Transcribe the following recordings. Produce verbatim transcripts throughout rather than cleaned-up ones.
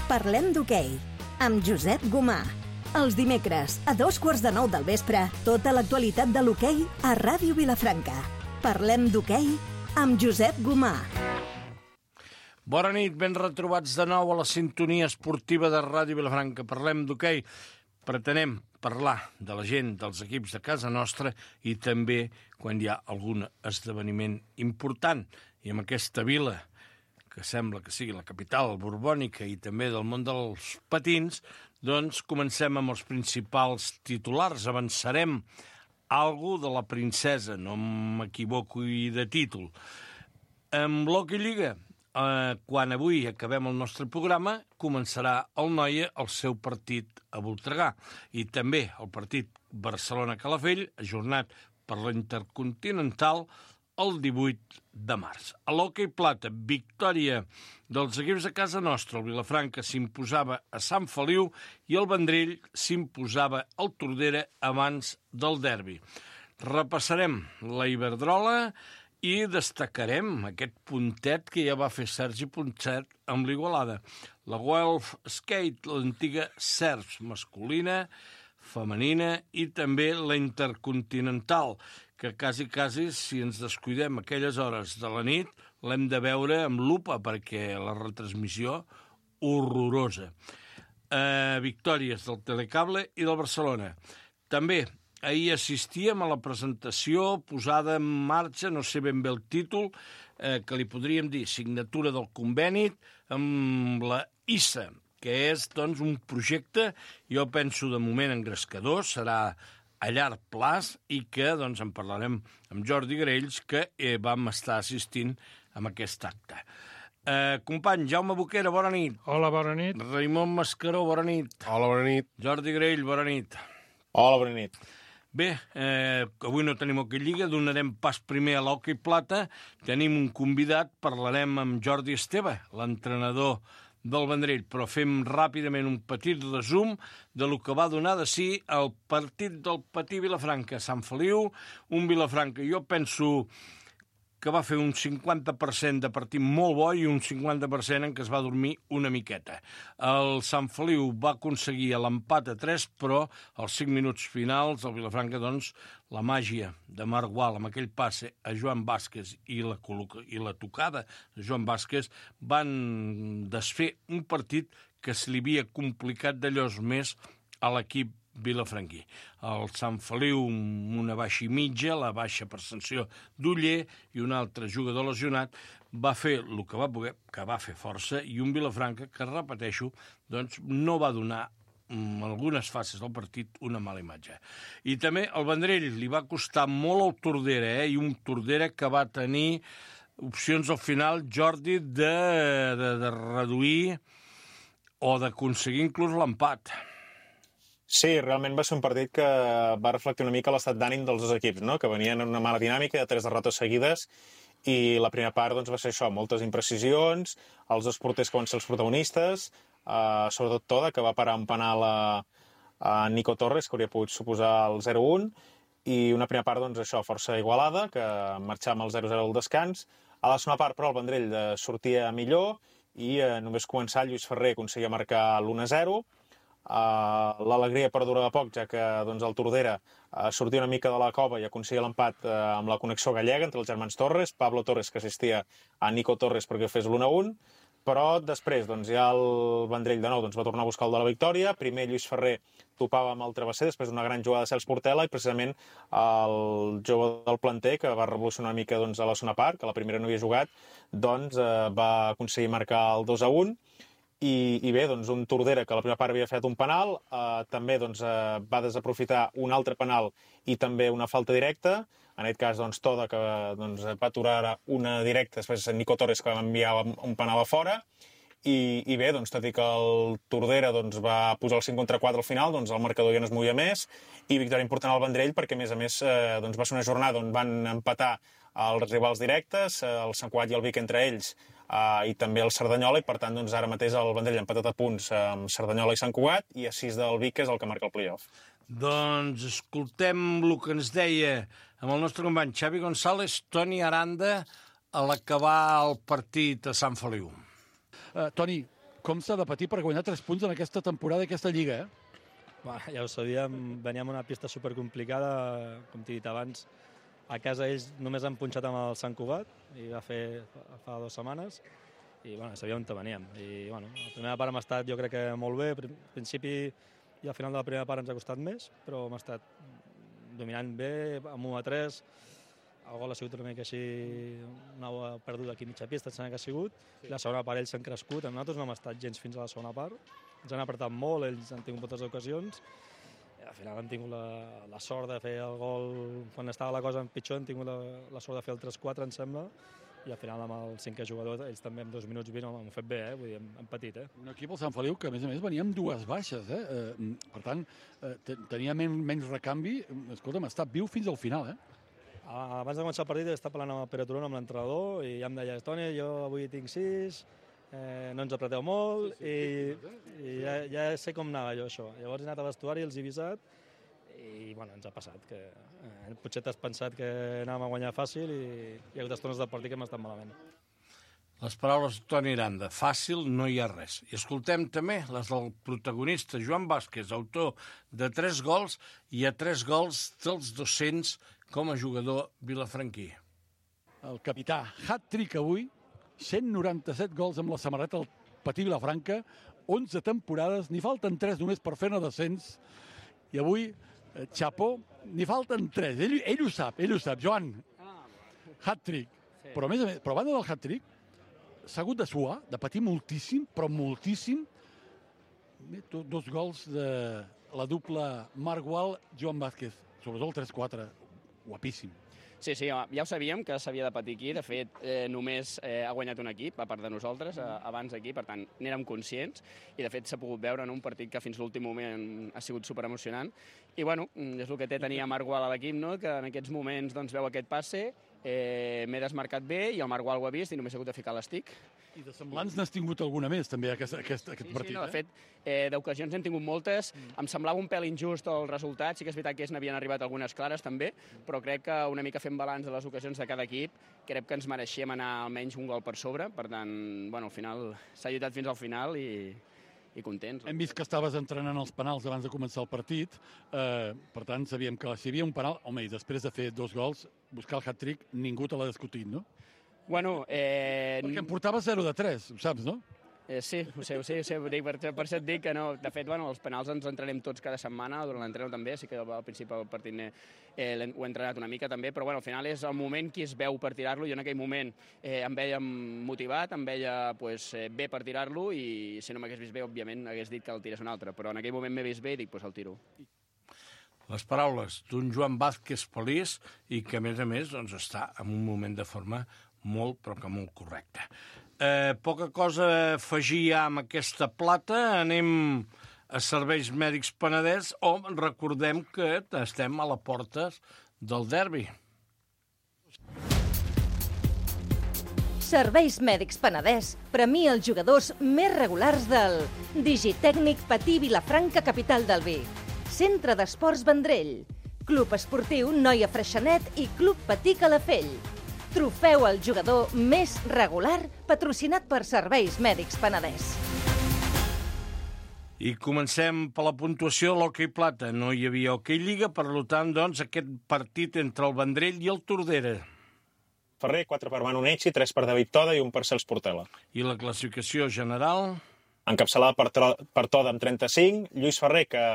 Parlem d'hoquei, amb Josep Gomà. Els dimecres, a dos quarts de nou del vespre, tota l'actualitat de l'hoquei a Ràdio Vilafranca. Parlem d'hoquei amb Josep Gomà. Bona nit, ben retrobats de nou a la sintonia esportiva de Ràdio Vilafranca. Parlem d'hoquei. Pretenem parlar de la gent, dels equips de casa nostra i també quan hi ha algun esdeveniment important. I en aquesta vila, que sembla que sigui la capital borbònica i també del món dels patins, doncs comencem amb els principals titulars. Avançarem algo de la princesa, no m'equivoco i de títol. Amb l'Hockey Lliga, eh, quan avui acabem el nostre programa, començarà el Noia el seu partit a Voltregà i també el partit Barcelona-Calafell, ajornat per la Intercontinental, el divuit de març. A l'hoquei plata, victòria dels equips de casa nostra. El Vilafranca s'imposava a Sant Feliu i el Vendrell s'imposava al Tordera abans del derbi. Repassarem la Iberdrola i destacarem aquest puntet que ja va fer Sergi Ponset amb l'Igualada. La Guelph Skate, l'antiga Serps masculina, femenina i també la Intercontinental, que quasi, quasi, si ens descuidem aquelles hores de la nit, l'hem de veure amb lupa, perquè la retransmissió horrorosa. Eh, victòries del Telecable i del Barcelona. També ahir assistíem a la presentació posada en marxa, no sé ben bé el títol, eh, que li podríem dir signatura del conveni amb la I S A, que és doncs, un projecte, jo penso de moment engrescador, serà a llarg plaç i que doncs, en parlarem amb Jordi Graells, que eh, vam estar assistint a aquest acte. Eh, company, Jaume Boquera, bona nit. Hola, bona nit. Raimon Mascaró, bona nit. Hola, bona nit. Jordi Graell, bona nit. Hola, bona nit. Bé, eh, avui no tenim hoquei lliga, donarem pas primer a l'hoquei plata. Tenim un convidat, parlarem amb Jordi Esteve, l'entrenador del Vendrell, però fem ràpidament un petit resum de lo que va donar de si el partit del Patí Vilafranca a Sant Feliu, un Vilafranca, jo penso que va fer un cinquanta per cent de partit molt bo i un cinquanta per cent en què es va dormir una miqueta. El Sant Feliu va aconseguir l'empat a tres, però als cinc minuts finals el Vilafranca, doncs, la màgia de Marc Gual amb aquell passe a Joan Vázquez i la, i la tocada de Joan Vázquez van desfer un partit que se li havia complicat d'allòs més a l'equip vilafranquí. El Sant Feliu amb una baixa i mitja, la baixa per sanció d'Uller i un altre jugador lesionat, va fer el que va poder, que va fer força, i un Vilafranca que, repeteixo, doncs no va donar en algunes fases del partit una mala imatge. I també el Vendrell li va costar molt al Tordera, eh? I un Tordera que va tenir opcions al final, Jordi, de, de, de reduir o d'aconseguir inclús l'empat. Sí, realment va ser un partit que va reflectir una mica l'estat d'ànim dels dos equips, no? Que venien en una mala dinàmica de tres derrotes seguides i la primera part doncs, va ser això, moltes imprecisions, els dos porters que van ser els protagonistes, eh, sobretot Toda, que va parar un penal a, a Nico Torres, que hauria pogut suposar el zero un, i una primera part, doncs, això, força igualada, que marxava amb el zero zero al descans. A la segona part, però, el Vendrell sortia millor i eh, només començar, Lluís Ferrer aconseguia marcar l'u a zero. Uh, l'alegria perdurava poc, ja que doncs, el Tordera uh, sortia una mica de la cova i aconseguia l'empat uh, amb la connexió gallega entre els germans Torres, Pablo Torres que assistia a Nico Torres perquè fes l'u a un, però després doncs, ja el Vendrell de nou doncs, va tornar a buscar el de la victòria. Primer Lluís Ferrer topava amb el travesser, després d'una gran jugada de Cels Portela, i precisament el jove del planter, que va revolucionar una mica doncs, a la segona part, que la primera no havia jugat, doncs, uh, va aconseguir marcar el dos a un. I, i bé, doncs, un Tordera que a la primera part havia fet un penal, eh, també doncs, eh, va desaprofitar un altre penal i també una falta directa. En aquest cas, doncs, Toda, que doncs, va aturar una directa, després Nico Torres, que va enviar un penal a fora. I, i bé, doncs, tot i que el Tordera doncs, va posar el cinc contra quatre al final, doncs, el marcador ja no es movia més, i victòria important al Vendrell, perquè a més a més eh, doncs, va ser una jornada on van empatar els rivals directes, el Sant Cugat i el Vic entre ells, Uh, i també el Cerdanyola, i per tant doncs, ara mateix el Vendrell ha empatat a punts amb Cerdanyola i Sant Cugat, i a sis del Vic, que és el que marca el play-off. Doncs escoltem el que ens deia amb el nostre company Xavi González, Toni Aranda, a l'acabar el partit a Sant Feliu. Uh, Toni, com s'ha de patir per guanyar tres punts en aquesta temporada i aquesta lliga, eh? Bueno, ja ho sabíem, veníem una pista supercomplicada, com t'he dit abans. A casa ells només han punxat amb el Sant Cugat, i va fer fa dues setmanes, i bueno, sabíem on veníem. I, bueno, la primera part hem estat, jo crec que molt bé. Al principi i al final de la primera part ens ha costat més, però hem estat dominant bé, amb u a tres. El gol ha sigut una mica així, una perduda aquí a mitja pista, sembla que ha sigut. Sí. La segona part ells s'han crescut, nosaltres no hem estat gens fins a la segona part. Ens han apretat molt, ells han tingut moltes ocasions. I al final han tingut la, la sort de fer el gol, quan estava la cosa pitjor, han tingut la, la sort de fer el tres quatre, em sembla. I al final amb el cinquè jugador, ells també en dos minuts vint han fet bé, eh? Vull dir, hem, hem patit. Eh? Un equip, el Sant Feliu, que a més a més venia amb dues baixes. Eh? Eh, per tant, eh, tenia men menys recanvi. Escolta'm, ha estat viu fins al final, eh? Abans de començar el partit estava parlant amb el Pere Turón, amb l'entrenador, i ja em deia, Toni, jo avui tinc sis, eh, no ens apreteu molt, sí, sí, i, sí, i ja, ja sé com anava jo això. Llavors he anat a vestuari, els he avisat, i bueno, ens ha passat, que eh, potser t'has pensat que anàvem a guanyar fàcil i hi ha hagut estones del partit que hem estat malament. Les paraules de Toni Aranda, fàcil no hi ha res. I escoltem també les del protagonista, Joan Vázquez, autor de tres gols i a tres gols dels dos-cents com a jugador vilafranquí. El capità, hat-trick avui, cent noranta-set gols amb la samarreta del Patí Vilafranca, onze temporades, n'hi falten tres només per fer-ne dos-cents, i avui, eh, Chapo, n'hi falten tres, ell, ell ho sap, ell ho sap, Joan, hat-trick, sí. Però a més a més, però a banda del hat-trick, s'ha hagut de suar, de patir moltíssim, però moltíssim, dos gols de la dupla Marc Gual, Joan Vázquez, sobretot el tres quatre, guapíssim. Sí, sí, ja ho sabíem que s'havia de patir aquí. De fet, eh, només eh, ha guanyat un equip, a part de nosaltres, eh, abans aquí, per tant, n'érem conscients, i de fet s'ha pogut veure en un partit que fins l'últim moment ha sigut superemocionant. I bueno, és el que té tenir a Marc Gual a l'equip, no? Que en aquests moments doncs, veu aquest passe, eh, m'he desmarcat bé i el Marc Gual ho ha vist i només ha hagut de ficar l'estic. I de semblants n'has tingut alguna més, també, aquest, aquest, aquest sí, partit. Sí, no, de eh? fet, eh, d'ocasions hem tingut moltes. Mm. Em semblava un pèl injust el resultat. Sí que és veritat que n'havien arribat algunes clares, també, però crec que una mica fent balanç de les ocasions de cada equip, crec que ens mereixíem anar almenys un gol per sobre. Per tant, bueno, al final s'ha lluitat fins al final i, i contents. Hem vist que estaves entrenant els penals abans de començar el partit. Eh, per tant, sabíem que si hi havia un penal, home, i després de fer dos gols, buscar el hat-trick, ningú te l'ha discutit, no? Bueno, eh... Perquè em portava zero de tres, ho saps, no? Eh, sí, ho sé, ho sé, ho sé. Per, per això et dic que no. De fet, bueno, els penals ens entrenem tots cada setmana, durant l'entreno també, sí que al principi del partit eh, ho he entrenat una mica també, però bueno, al final és el moment qui es veu per tirar-lo. Jo en aquell moment eh, em veia motivat, em veia pues, eh, bé per tirar-lo i si no m'hagués vist bé, òbviament, hagués dit que el tirés un altre, però en aquell moment m'he vist bé i dic, pues el tiro. Les paraules d'un Joan Vázquez feliç i que, a més a més, doncs, està en un moment de forma molt, però que molt correcte. Eh, poca cosa a afegir ja amb aquesta plata. Anem a Serveis Mèdics Penedès, on recordem que estem a la porta del derbi. Serveis Mèdics Penedès premia els jugadors més regulars del Digitècnic Patí Vilafranca, capital del vi, Centre d'Esports Vendrell, Club Esportiu Noia Freixenet i Club Patí Calafell. Trofeu al jugador més regular patrocinat per Serveis Mèdics Penedès. I comencem per la puntuació de l'hoquei plata. No hi havia hoquei lliga, per tant, doncs, aquest partit entre el Vendrell i el Tordera. Ferrer, quatre per Manu Necci, tres per David Toda i un per Cels Portela. I la classificació general? Encapçalada per, per Toda amb trenta-cinc, Lluís Ferrer, que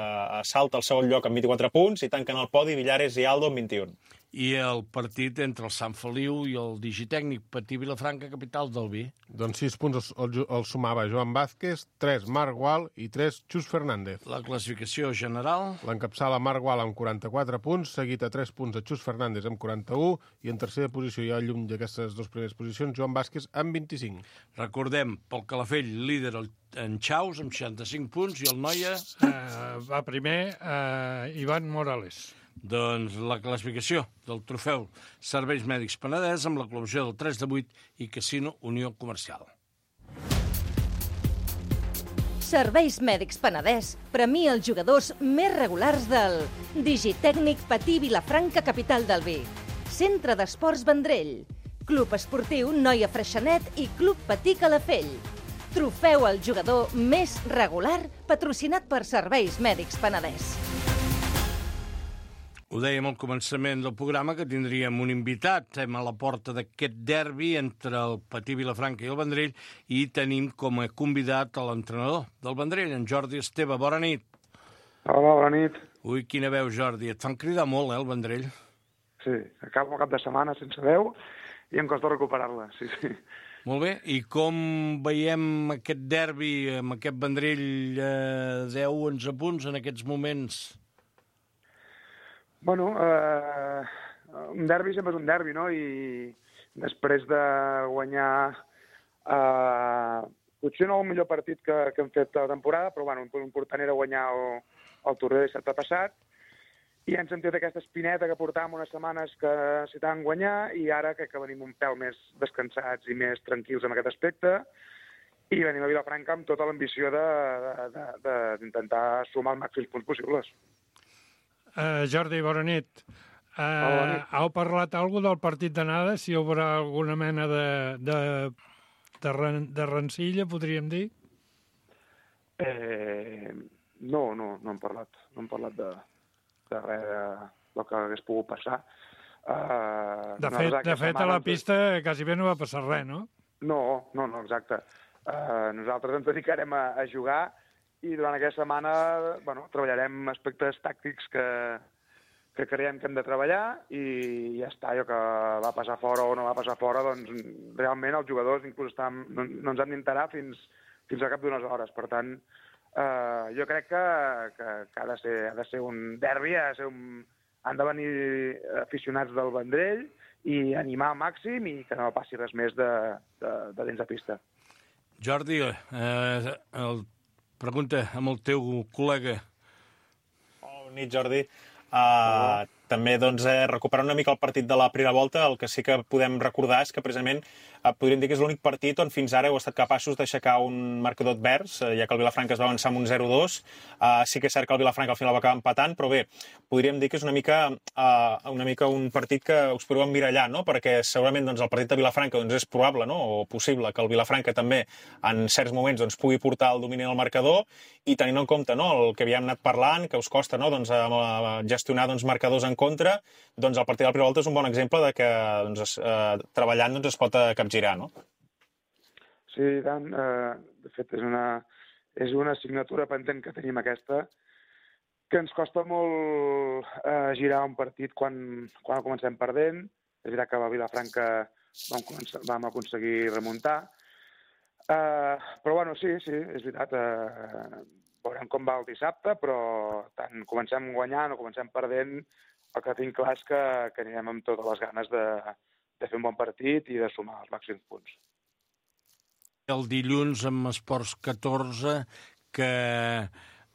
salta al segon lloc amb vint-i-quatre punts, i tanquen el podi Villares i Aldo amb vint-i-un. I el partit entre el Sant Feliu i el Digitècnic Patí Vilafranca, capital del vi? Doncs sis punts els, els sumava Joan Vázquez, tres Marc Gual i tres Xus Fernández. La classificació general? L'encapçala Marc Gual amb quaranta-quatre punts, seguit a tres punts de Xus Fernández amb quaranta-un, i en tercera posició, ja lluny d'aquestes dues primeres posicions, Joan Vázquez amb vint-i-cinc. Recordem, pel Calafell, líder en Chaus amb seixanta-cinc punts, i el Noia? Uh, va primer uh, Ivan Morales. Doncs la classificació del trofeu Serveis Mèdics Penedès amb la col·laboració del tres de vuit i Casino Unió Comercial. Serveis Mèdics Penedès premia els jugadors més regulars del Digitècnic Patí Vilafranca, capital del vi, Centre d'Esports Vendrell, Club Esportiu Noia Freixenet i Club Patí Calafell. Trofeu al jugador més regular, patrocinat per Serveis Mèdics Penedès. Ho dèiem al començament del programa, que tindríem un invitat. Estem a la porta d'aquest derbi entre el Patí Vilafranca i el Vendrell i tenim com a convidat a l'entrenador del Vendrell, en Jordi Esteve. Bona nit. Hola, bona nit. Ui, quina veu, Jordi. Et fan cridar molt, eh, el Vendrell? Sí, acabo el cap de setmana sense veu i em costa recuperar-la, sí, sí. Molt bé. I com veiem aquest derbi amb aquest Vendrell eh, deu onze punts en aquests moments? Bueno, eh, un derbi sempre és un derbi, no? I després de guanyar eh, potser no el millor partit que, que hem fet a la temporada, però bueno, l'important era guanyar el, el torneig de dissabte passat, i hem sentit aquesta espineta que portàvem unes setmanes que necessitàvem guanyar, i ara crec que venim un pèl més descansats i més tranquils en aquest aspecte, i venim a Vilafranca amb tota l'ambició d'intentar sumar els màxims punts possibles. Uh, Jordi, bona nit. Uh, bona nit. Heu parlat alguna del partit d'anada? Si hi haurà alguna mena de, de, de, ren, de rencilla, podríem dir? Eh, no, no, no hem parlat. No hem parlat de, de res de, del que hagués pogut passar. Uh, de fet, de fet a la pista quasi bé no va passar res, no? No, no, no, exacte. Uh, nosaltres ens dedicarem a, a jugar i durant aquesta setmana bueno, treballarem aspectes tàctics que, que creiem que hem de treballar i ja està, allò que va passar fora o no va passar fora, doncs realment els jugadors inclús estan, no, no ens han d'interar fins, fins a cap d'unes hores. Per tant, eh, jo crec que, que, que ha, de ser, ha de ser un derbi, ha de ser un, han de venir aficionats del Vendrell i animar al màxim i que no passi res més de, de, de dins de pista. Jordi, eh, el pregunta amb el teu col·lega. Bona nit, Jordi. Uh, també doncs, eh, recuperant una mica el partit de la primera volta, el que sí que podem recordar és que precisament eh, podríem dir que és l'únic partit on fins ara heu estat capaços d'aixecar un marcador advers, eh, ja que el Vilafranca es va avançar amb un zero dos. Uh, sí que és cert que el Vilafranca al final va acabar empatant, però bé, podríem dir que és una mica, uh, una mica un partit que us podeu emmirallar, no? Perquè segurament doncs, el partit de Vilafranca doncs, és probable, no? O possible que el Vilafranca també en certs moments doncs, pugui portar el domini al marcador i tenint en compte no? El que havíem anat parlant, que us costa no? doncs, a gestionar doncs, marcadors en contra, doncs el partit de la primera volta és un bon exemple de que doncs, eh, treballant doncs, es pot capgirar, no? Sí, tant. Eh, de fet, és una, és una assignatura pendent que tenim aquesta, que ens costa molt eh, girar un partit quan, quan el comencem perdent. És veritat que a Vilafranca vam, començar, vam aconseguir remuntar. Eh, però, bueno, sí, sí, és veritat. Eh, veurem com va el dissabte, però tant comencem guanyant o comencem perdent, el que tinc clar és que, que anirem amb totes les ganes de, de fer un bon partit i de sumar els màxims punts. El dilluns amb Esports catorze, que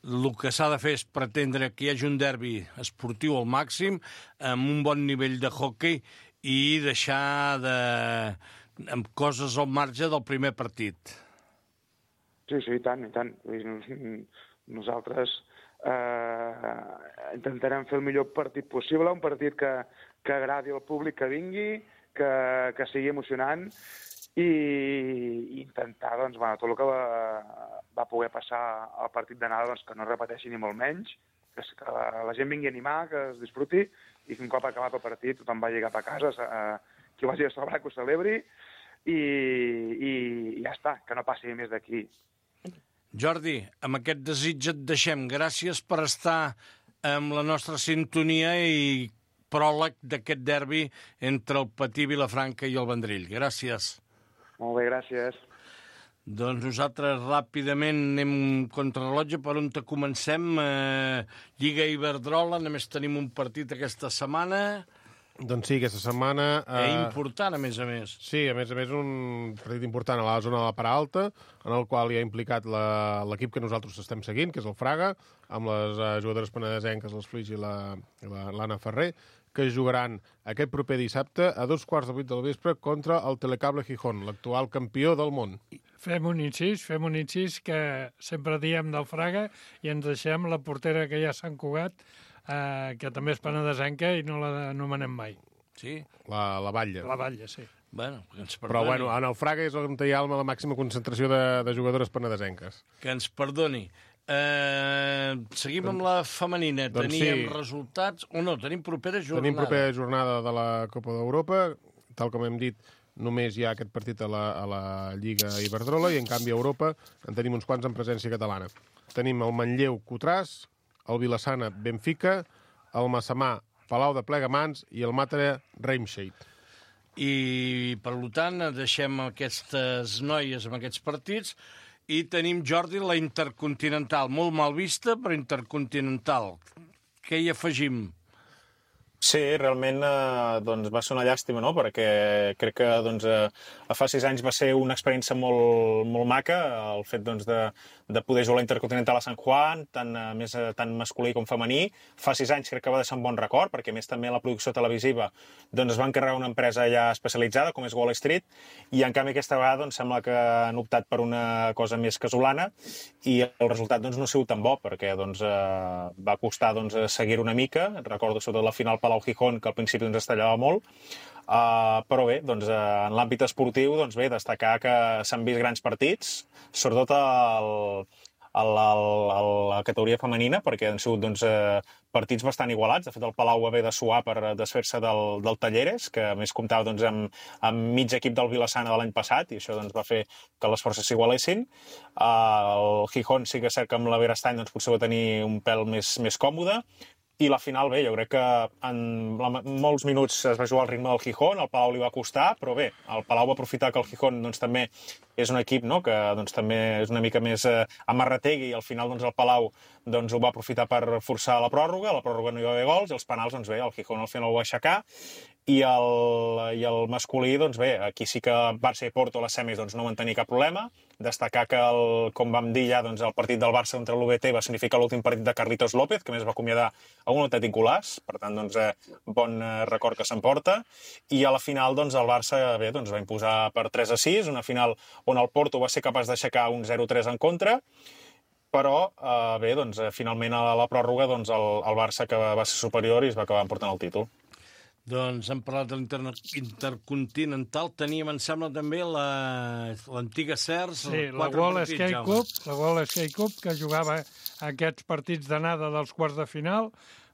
el que s'ha de fer és pretendre que hi hagi un derbi esportiu al màxim, amb un bon nivell de hoquei i deixar de... amb coses al marge del primer partit. Sí, sí, i tant, i tant. Nosaltres eh, intentarem fer el millor partit possible, un partit que, que agradi al públic que vingui, que, que sigui emocionant i, i intentar, doncs, bueno, tot el que va, va poder passar al partit d'anada, doncs, que no repeteixi ni molt menys, que, que la, la gent vingui a animar, que es disfruti i que un cop acabat el partit tothom vagi cap a casa, eh, qui vagi a celebrar que ho celebri i, i, i ja està, que no passi més d'aquí. Jordi, amb aquest desig et deixem. Gràcies per estar amb la nostra sintonia i pròleg d'aquest derbi entre el Patí Vilafranca i el Vendrell. Gràcies. Molt bé, gràcies. Doncs nosaltres ràpidament anem contrarrellotge per on te comencem. Eh, Lliga Iberdrola, només tenim un partit aquesta setmana. Doncs sí, aquesta setmana... Eh... És important, a més a més. Sí, a més a més, un partit important a la zona de la part alta, en el qual hi ha implicat l'equip que nosaltres estem seguint, que és el Fraga, amb les uh, jugadores penedesenques, les Flix i l'Anna la, la, Ferrer, que jugaran aquest proper dissabte a dos quarts de vuit del vespre contra el Telecable Gijón, l'actual campió del món. Fem un incís, fem un incís que sempre diem del Fraga i ens deixem la portera que ja s'han Cugat, eh, que també és penedesenca i no la anomenem mai. Sí? La, la Batlle. La Batlle, sí. Bueno, que ens Però, perdoni. bueno, en el Fraga és on hi ha la màxima concentració de, de jugadores penedesenques. Que ens perdoni. Eh, seguim amb la femenina. Doncs Teníem sí. resultats... O no, tenim propera jornada. Tenim propera jornada de la Copa d'Europa. Tal com hem dit, només hi ha aquest partit a la, a la Lliga Iberdrola i, en canvi, a Europa en tenim uns quants en presència catalana. Tenim el Manlleu Cotràs, el Vilassana Benfica, el Massamà Palau de Plegamans i el Màtara Reimscheid. I, per tant, deixem aquestes noies amb aquests partits i tenim, Jordi, la Intercontinental. Molt mal vista, però Intercontinental. Què hi afegim? Sí, realment eh, doncs va ser una llàstima, no? Perquè crec que doncs, eh, fa sis anys va ser una experiència molt, molt maca, el fet doncs, de, de poder jugar a l'Intercontinental a Sant Juan, tant, eh, més, eh, tant masculí com femení. Fa sis anys crec que va deixar un bon record, perquè a més també la producció televisiva doncs, es va encarregar una empresa ja especialitzada, com és Wall Street, i en canvi aquesta vegada doncs, sembla que han optat per una cosa més casolana, i el resultat doncs, no ha sigut tan bo, perquè doncs, eh, va costar doncs, seguir una mica. Recordo sobretot la final Palau Gijón, que al principi ens estallava molt, uh, però bé, doncs, uh, en l'àmbit esportiu, doncs bé, destacar que s'han vist grans partits, sobretot el, el, el, el, la categoria femenina, perquè han sigut doncs, uh, partits bastant igualats. De fet, el Palau va haver de suar per desfer-se del, del Talleres, que a més comptava doncs, amb, amb mig equip del Vilassana de l'any passat, i això doncs, va fer que les forces s'igualessin. Uh, el Gijón sí que és cert que amb la Berastany doncs, potser va tenir un pèl més, més còmode. I la final, bé, jo crec que en la, molts minuts es va jugar al ritme del Gijón, el Palau li va costar, però bé, el Palau va aprofitar que el Gijón doncs, també és un equip no? que doncs, també és una mica més eh, amarrategui, i al final doncs, el Palau doncs, ho va aprofitar per forçar la pròrroga, a la pròrroga no hi va haver gols, i els penals, doncs bé, el Gijón al final ho va aixecar, i el, i el masculí, doncs bé, aquí sí que Barça i Porto a les semis doncs, no van tenir cap problema. Destacar que, el, com vam dir ja, doncs, el partit del Barça contra l'U B T va significar l'últim partit de Carlitos López, que més va acomiadar a un autèntic golaç, per tant, doncs, eh, bon eh, record que s'emporta. I a la final, doncs, el Barça bé, doncs, va imposar per tres a sis, una final on el Porto va ser capaç d'aixecar un zero tres en contra, però eh, bé, doncs, eh, finalment a la pròrroga doncs, el, el Barça que va ser superior i es va acabar emportant el títol. Doncs hem parlat de l'Intercontinental. Teníem, em sembla, també l'antiga la, Cers. Sí, la World Skate Cup, la World Skate Cup, que jugava aquests partits d'anada dels quarts de final.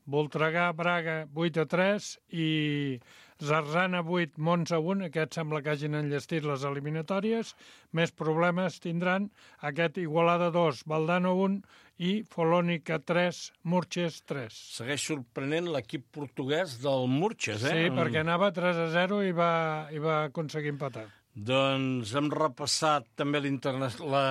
Voltregà, Braga, vuit a tres, i Zarzana vuit, Monza un. Aquests sembla que hagin enllestit les eliminatòries. Més problemes tindran aquest Igualada dos, Valdano un, i Folònica tres, Murches tres. Segueix sorprenent l'equip portuguès del Murches, eh? Sí, perquè anava tres a zero i va, i va aconseguir empatar. Doncs hem repassat també la,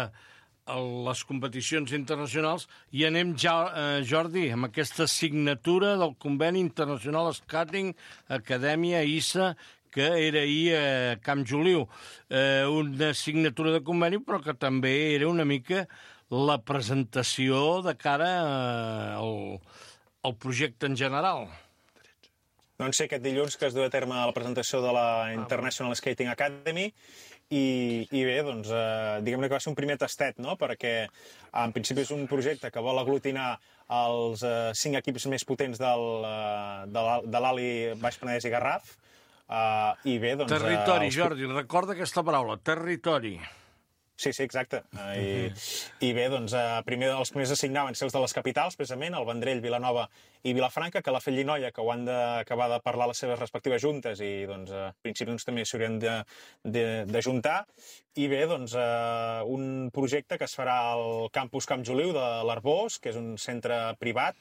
les competicions internacionals i anem ja, eh, Jordi, amb aquesta signatura del Conveni Internacional Skating Acadèmia I S A, que era ahir a Camp Joliu. Eh, una signatura de conveni, però que també era una mica la presentació de cara al, al projecte en general. Doncs sí, aquest dilluns que es du a terme la presentació de la International Skating Academy, i, i bé, doncs, eh, diguem-ne que va ser un primer tastet, no?, perquè en principi és un projecte que vol aglutinar els eh, cinc equips més potents del, eh, de l'Ali Baix Penedès i Garraf, eh, i bé, doncs... Territori, eh, els... Jordi, recorda aquesta paraula, territori. Sí, sí, exacte. I, i bé, doncs, primer els primers a signar van ser els de les capitals, precisament, el Vendrell, Vilanova i Vilafranca, que la Fellinoia, que ho han d'acabar de parlar les seves respectives juntes, i doncs, a principi doncs, també s'haurien d'ajuntar. I bé, doncs, un projecte que es farà al campus Camp Joliu de l'Arbós, que és un centre privat,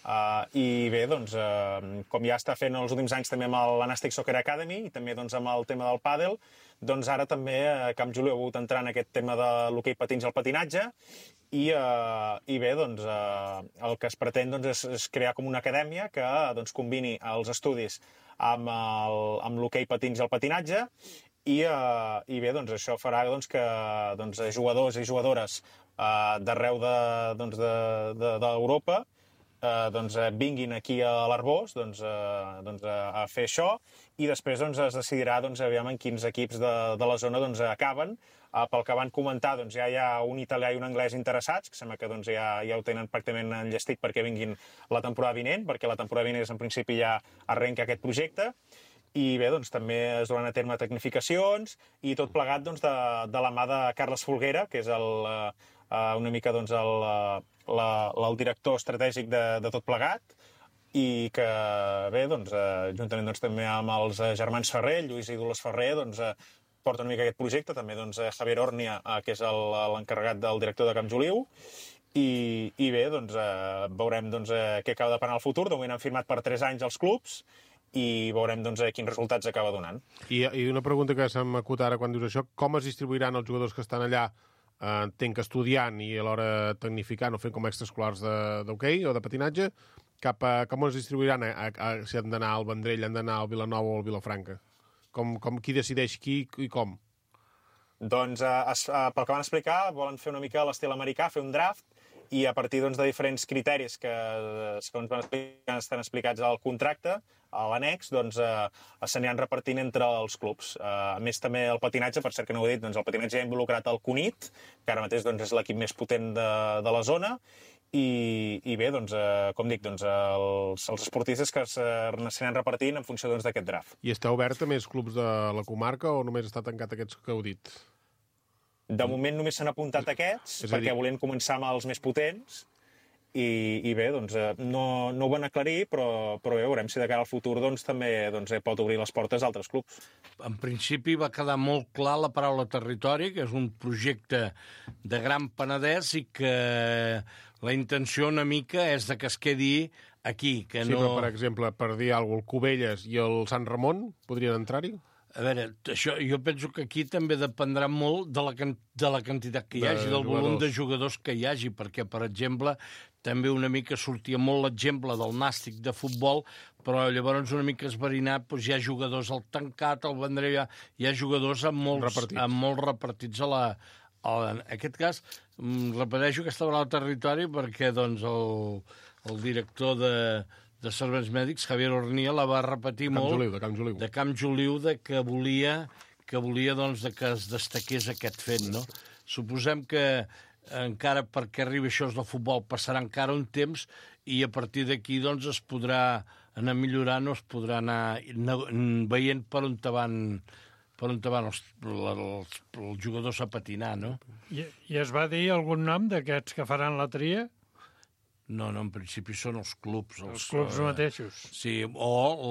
Uh, i bé, doncs, uh, com ja està fent els últims anys també amb l'Anàstic Soccer Academy i també doncs, amb el tema del pàdel, doncs ara també uh, Camp Joliu ha hagut entrar en aquest tema de l'hoquei patins i el patinatge, i, uh, i bé, doncs, uh, el que es pretén doncs, és, és crear com una acadèmia que doncs, combini els estudis amb, el, amb l'hoquei patins i el patinatge, i, uh, i bé, doncs, això farà doncs, que doncs, jugadors i jugadores uh, d'arreu d'Europa de, doncs, de, de, Uh, doncs, uh, vinguin aquí a l'Arbós doncs, uh, doncs, uh, a fer això, i després doncs, es decidirà doncs, aviam en quins equips de, de la zona doncs, acaben. Uh, pel que van comentar, doncs, ja hi ha un italià i un anglès interessats, que sembla que doncs, ja, ja ho tenen pràcticament enllestit perquè vinguin la temporada vinent, perquè la temporada vinent en principi ja arrenca aquest projecte. i bé, doncs també es duran a terme tecnificacions i tot plegat doncs, de, de la mà de Carles Folguera, que és el, uh, una mica doncs, el, la, el director estratègic de, de tot plegat, i que bé, doncs, uh, juntament doncs, també amb els germans Ferrer, Lluís i Dolors Ferrer, doncs, uh, porta una mica aquest projecte, també doncs, Javier Ornia, uh, que és l'encarregat del director de Camp Joliu, i, i bé, doncs, uh, veurem doncs, uh, què acaba de parar el futur. De moment han firmat per tres anys els clubs, i veurem doncs, quins resultats acaba donant. I, I una pregunta que se'm acut ara quan dius això, com es distribuiran els jugadors que estan allà, eh, entenc que estudiant i alhora tecnificant o fent com extraescolars d'hoquei o de patinatge, cap a, com es distribuiran a, a, a, si han d'anar al Vendrell, han d'anar al Vilanova o al Vilafranca? Com, com, qui decideix qui i com? Doncs, eh, es, eh, pel que van explicar, volen fer una mica l'estil americà, fer un draft, i a partir doncs, de diferents criteris que, segons van explicar, estan explicats al contracte, a l'annex, doncs, eh, s'aniran repartint entre els clubs. Eh, a més, també el patinatge, per cert que no ho he dit, doncs, el patinatge ha involucrat el Cunit, que ara mateix doncs, és l'equip més potent de, de la zona, i, i bé, doncs, eh, com dic, doncs, els, els esportistes que s'aniran repartint en funció d'aquest doncs, draft. I està obert a més clubs de la comarca o només està tancat aquests que heu dit? De moment només s'han apuntat aquests, perquè dir... volien començar amb els més potents, i, i bé, doncs, no, no ho van aclarir, però, però bé, veurem si de cara al futur doncs, també doncs, pot obrir les portes a altres clubs. En principi va quedar molt clar la paraula territori, que és un projecte de Gran Penedès i que la intenció una mica és de que es quedi aquí. Que sí, no... però, per exemple, per dir alguna cosa, el Cubelles i el Sant Ramon podrien entrar-hi? A veure, això, jo penso que aquí també dependrà molt de la, de la quantitat que hi hagi, de del jugadors. volum de jugadors que hi hagi, perquè, per exemple, també una mica sortia molt l'exemple del Nàstic de futbol, però llavors una mica esverinat, doncs hi ha jugadors al tancat, al Vendrell, hi ha, hi ha jugadors amb molts repartits, amb molts repartits a la... A la en aquest cas, repeteixo que estava al territori perquè doncs, el, el director de... de serveis mèdics, Javier Ornia, la va repetir de molt... Joliu, de Camp Joliu. De Camp Joliu, de que volia, que volia doncs, de que es destaqués aquest fet, no? Suposem que encara perquè arribi això del futbol passarà encara un temps i a partir d'aquí doncs, es podrà anar millorant o es podrà anar veient per on te van, per on te van els, els, els jugadors a patinar, no? I, I es va dir algun nom d'aquests que faran la tria? No, no, en principi són els clubs. Els, els clubs uh, mateixos. Sí, o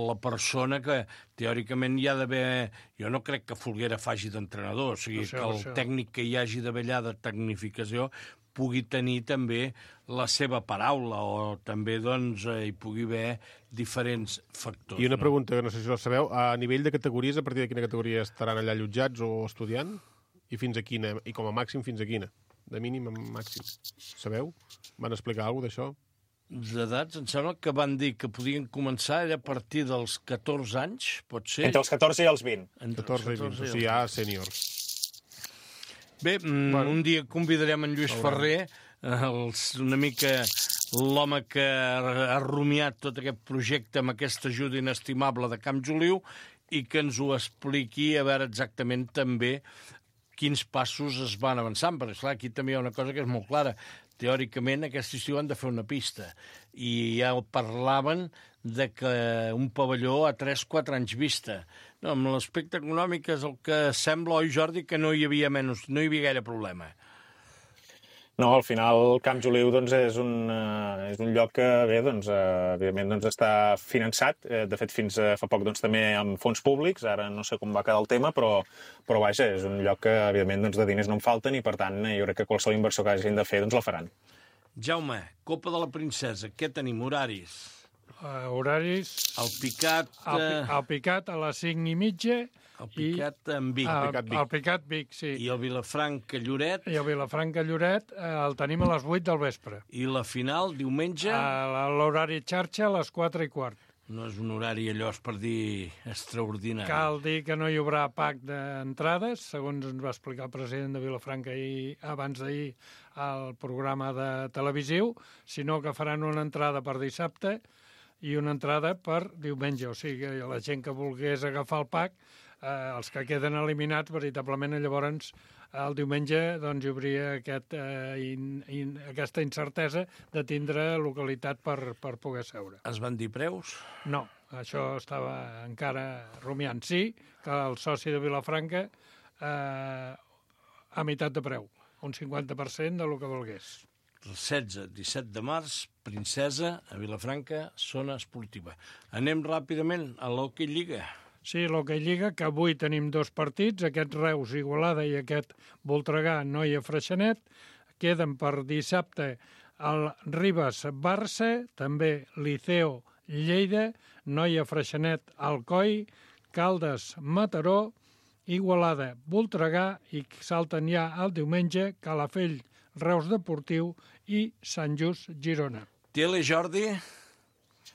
la persona que teòricament hi ha d'haver... Jo no crec que Folguera faci d'entrenador, o sigui, això, que el això. tècnic que hi hagi d'haver allà de tecnificació pugui tenir també la seva paraula o també doncs, eh, hi pugui haver diferents factors. I una no? pregunta, que no sé si ho sabeu, a nivell de categories, a partir de quina categoria estaran allà allotjats o estudiant? I fins a quina? I com a màxim fins a quina? De mínim a màxim. Sabeu? Van explicar alguna cosa d'això? D'edats, em sembla que van dir que podien començar a partir dels catorze anys, pot ser? Entre els catorze i els vint. Entre catorze i vint, o sigui, ja sèniors. Bé, bueno, un dia convidarem en Lluís Ferrer, els, una mica l'home que ha rumiat tot aquest projecte amb aquesta ajuda inestimable de Camp Joliu i que ens ho expliqui a veure exactament també quins passos es van avançant, perquè esclar, aquí també hi ha una cosa que és molt clara. Teòricament, aquest estiu han de fer una pista, i ja parlaven de que un pavelló a tres o quatre anys vista. No, amb l'aspecte econòmic és el que sembla, oi, Jordi, que no hi havia menys, no hi havia gaire problema. No, al final Camp Joliu doncs, és, un, uh, és un lloc que, bé, doncs, uh, evidentment doncs, està finançat. Uh, de fet, fins uh, fa poc doncs, també amb fons públics. Ara no sé com va quedar el tema, però, però vaja, és un lloc que, evidentment, doncs, de diners no en falten i, per tant, jo crec que qualsevol inversió que hagin de fer doncs, la faran. Jaume, Copa de la Princesa, què tenim? Horaris? Uh, horaris... El Picat... Uh... El, el Picat a les cinc i mitja... El Picat en Vic. El Picat Vic. El Picat Vic, sí. I el Vilafranca Lloret. I el Vilafranca Lloret eh, el tenim a les vuit del vespre. I la final, diumenge? A l'horari xarxa a les quatre i quart. No és un horari allò, és per dir, extraordinari. Cal dir que no hi haurà pack d'entrades, segons ens va explicar el president de Vilafranca ahir, abans d'ahir al programa de televisiu, sinó que faran una entrada per dissabte i una entrada per diumenge. O sigui, la gent que volgués agafar el pack eh, els que queden eliminats, veritablement, llavors el diumenge doncs, hi hauria aquest, eh, in, in, aquesta incertesa de tindre localitat per, per poder seure. Es van dir preus? No, això estava encara rumiant. Sí, que el soci de Vilafranca eh, a meitat de preu, un cinquanta per cent de lo que volgués. El setze disset de març, Princesa, a Vilafranca, zona esportiva. Anem ràpidament a l'Hockey Lliga. Sí, l'Hockey Lliga, que avui tenim dos partits, aquest Reus Igualada i aquest Voltregà Noia Freixenet. Queden per dissabte el Ribes Barça, també Liceo Lleida, Noia Freixenet Alcoi, Caldes Mataró, Igualada Voltregà i salten ja el diumenge Calafell Reus Deportiu i Sant Just Girona. Tele, Jordi?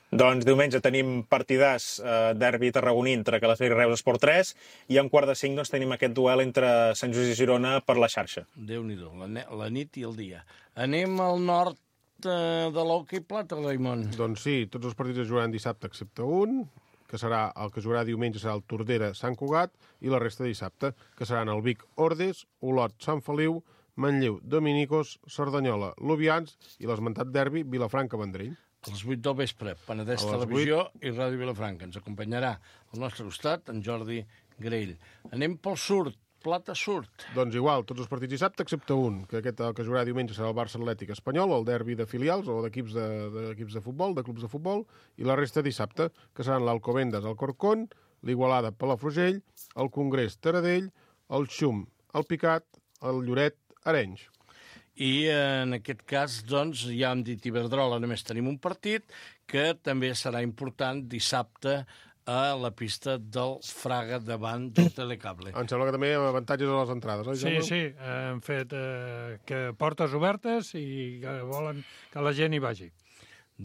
Doncs diumenge tenim partidars, eh, derbi tarragoní entre Calafell i Reus Esport tres, i en quart de cinc doncs, tenim aquest duel entre Sant Just i Girona per la xarxa. Déu-n'hi-do, la, la nit i el dia. Anem al nord eh, de l'Hockey Plata, Raimon. Doncs sí, tots els partits es jugaran dissabte excepte un, que serà el que jugarà diumenge serà el Tordera Sant Cugat, i la resta dissabte, que seran el Vic Ordes, Olot Sant Feliu, Manlleu Dominicos, Cerdanyola Lubians i l'esmentat derbi Vilafranca Vendrell. A les vuit del vespre, Penedès Televisió i Ràdio Vilafranca. Ens acompanyarà al nostre costat en Jordi Grell. Anem pel sud, Plata Sud. Doncs igual, tots els partits dissabte, excepte un, que aquest el que jugarà diumenge serà el Barça Atlètic Espanyol, el derbi de filials o d'equips de, d'equips de futbol, de clubs de futbol, i la resta dissabte, que seran l'Alcobendas Alcorcón, l'Igualada Palafrugell, el Congrés Taradell, el Xum el Picat, el Lloret Arenys. I en aquest cas, doncs, ja hem dit Iberdrola, només tenim un partit que també serà important dissabte a la pista del Fraga davant del Telecable. Em sembla que també hi ha avantatges a les entrades, oi, Sí, Jaume? sí, han fet eh, que portes obertes i que volen que la gent hi vagi.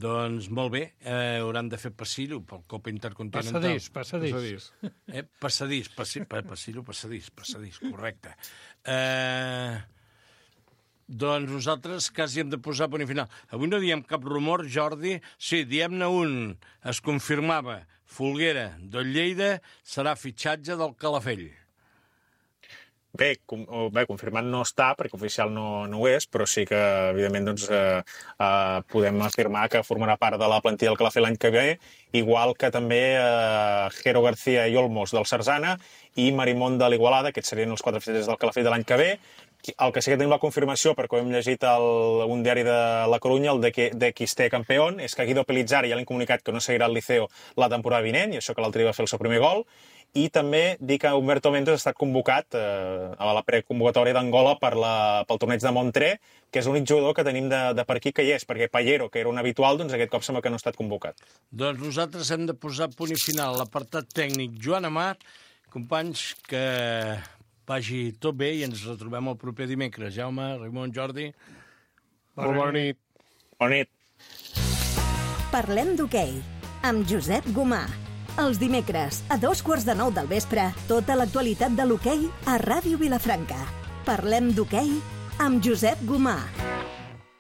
Doncs molt bé, eh, hauran de fer passillo pel Copa Intercontinental. Passadís, passadís. Passadís. Eh, passadís, passi, pa, passillo, passadís, passadís, correcte. Eh... Doncs nosaltres quasi hem de posar punt i final. Avui no diem cap rumor, Jordi. Sí, diem-ne un. Es confirmava. Folguera del Lleida serà fitxatge del Calafell. Bé, com, bé, confirmat no està, perquè oficial no, no ho és, però sí que, evidentment, doncs, eh, eh, podem afirmar que formarà part de la plantilla del Calafell l'any que ve, igual que també eh, Jero García i Olmos del Sarzana i Marimón de l'Igualada, aquests serien els quatre fitxatges del Calafell de l'any que ve. El que sí que tenim la confirmació, perquè ho hem llegit a un diari de La Corunya, el de, de X T Campeón, és que Guido Pelizzari ja l'ha comunicat que no seguirà al Liceo la temporada vinent, i això que l'altre dia va fer el seu primer gol, i també dir que Humberto Mendes ha estat convocat eh, a la preconvocatòria d'Angola per la, pel torneig de Montré, que és l'únic jugador que tenim de, de per aquí que hi és, perquè Pallero, que era un habitual, doncs aquest cop sembla que no ha estat convocat. Doncs nosaltres hem de posar punt i final a l'apartat tècnic Joan Amat. Companys, que vagi tot bé i ens retrobem el proper dimecres. Jaume, Raimon, Jordi. Molt bona nit. Bona nit. Parlem d'hoquei amb Josep Gomà. Els dimecres, a dos quarts de nou del vespre, tota l'actualitat de l'hoquei a Ràdio Vilafranca. Parlem d'hoquei amb Josep Gomà.